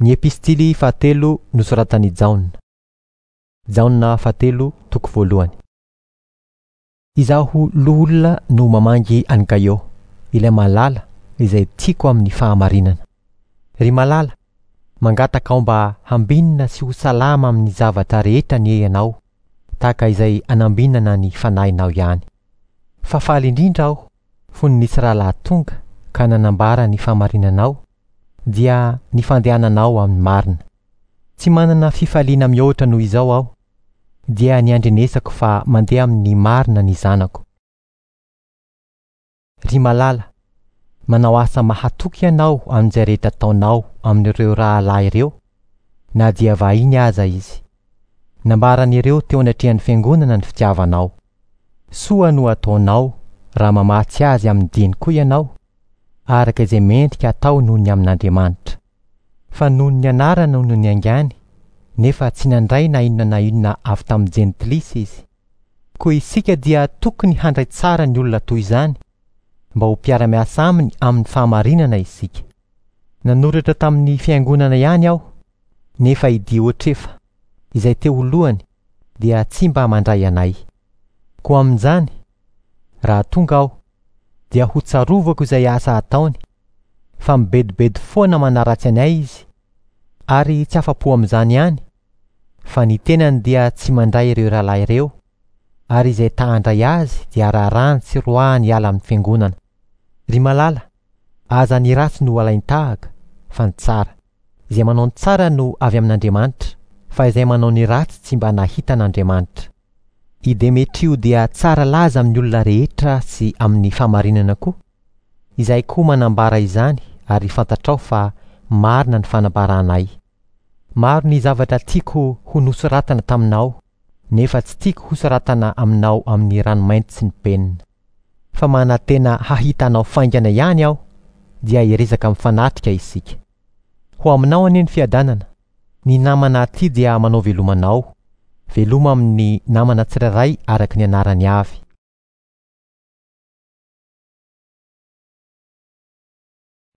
Ny epistily fahatelo nosoratan'i Jaona. Jaona fahatelo toko voalohany. Izaho loholona no mamangy an'i Gaio, ilay malala izay tiako amin'ny fahamarinana. Ry malala, mangataka aho mba hambinina sy ho salama amin'ny zavatra rehetra anie ianao, tahaka izay anambinana ny fanahinao ihany. Fa faly indrindra aho fony nisy rahalahy tonga ka nanambara ny fahamarinanao, dia ny fandehananao amin'ny marina. Tsy manana fifaliana mihoatra noho izao aho, dia ny andrenesako fa mandeha amin'ny marina ny zanako. Ry malala, manao asa mahatoky ianao amin'izay rehetra ataonao amin'ireo rahalahy ireo, na dia vahiny aza izy. Nambaran'ireo teo anatrehan'ny fiangonana ny fitiavanao. Soa no ataonao raha mamatsy azy amin'ny dieny koa ianao, araka izay mendrika atao noho ny amin'Andriamanitra. Fa noho ny anarana no niaingàny, nefa tsy nandray na inona na inona avy tamin'ny Jentilisa izy. Koa isika dia tokony handray tsara ny olona toy izany, mba ho mpiara-miasa aminy amin'ny fahamarinana isika. Nanoratra tamin'ny fiangonana ihany aho, nefa i Diotrefa, izay te ho lohany, dia tsy mba mandray anay. Koa amin'izany, raha tonga aho, dia ho tsarovako izay asa ataony, fa mibedobedo foana manaratsy anay izy, ary tsy afa-po amin'izany ihany, fa ny tenany dia tsy mandray ireo rahalahy ireo, ary izay ta handray azy dia raharahany sy roahany hiala amin'ny fiangonana. Ry malala, aza ny ratsy no alain-tahaka, fa ny tsara. Izay manao ny tsara no avy amin'Andriamanitra, fa izay manao ny ratsy tsy mba nahita an'Andriamanitra. I Demetrio dia tsara laza amin'ny olona rehetra sy amin'ny fahamarinana koa. Izahay koa manambara izany ary fantatrao fa marina ny fanambaranay. Maro ny zavatra tiako ho nosoratana taminao, nefa tsy tiako hosoratana aminao amin'ny ranomainty sy ny penina. Fa manantena hahita anao faingana ihany aho, dia hiresaka mifanatrika isika. Ho aminao anie ny fiadanana. Ny namana aty dia manao veloma anao. Veloma amin'ny namana tsirairay araka ny anarany avy.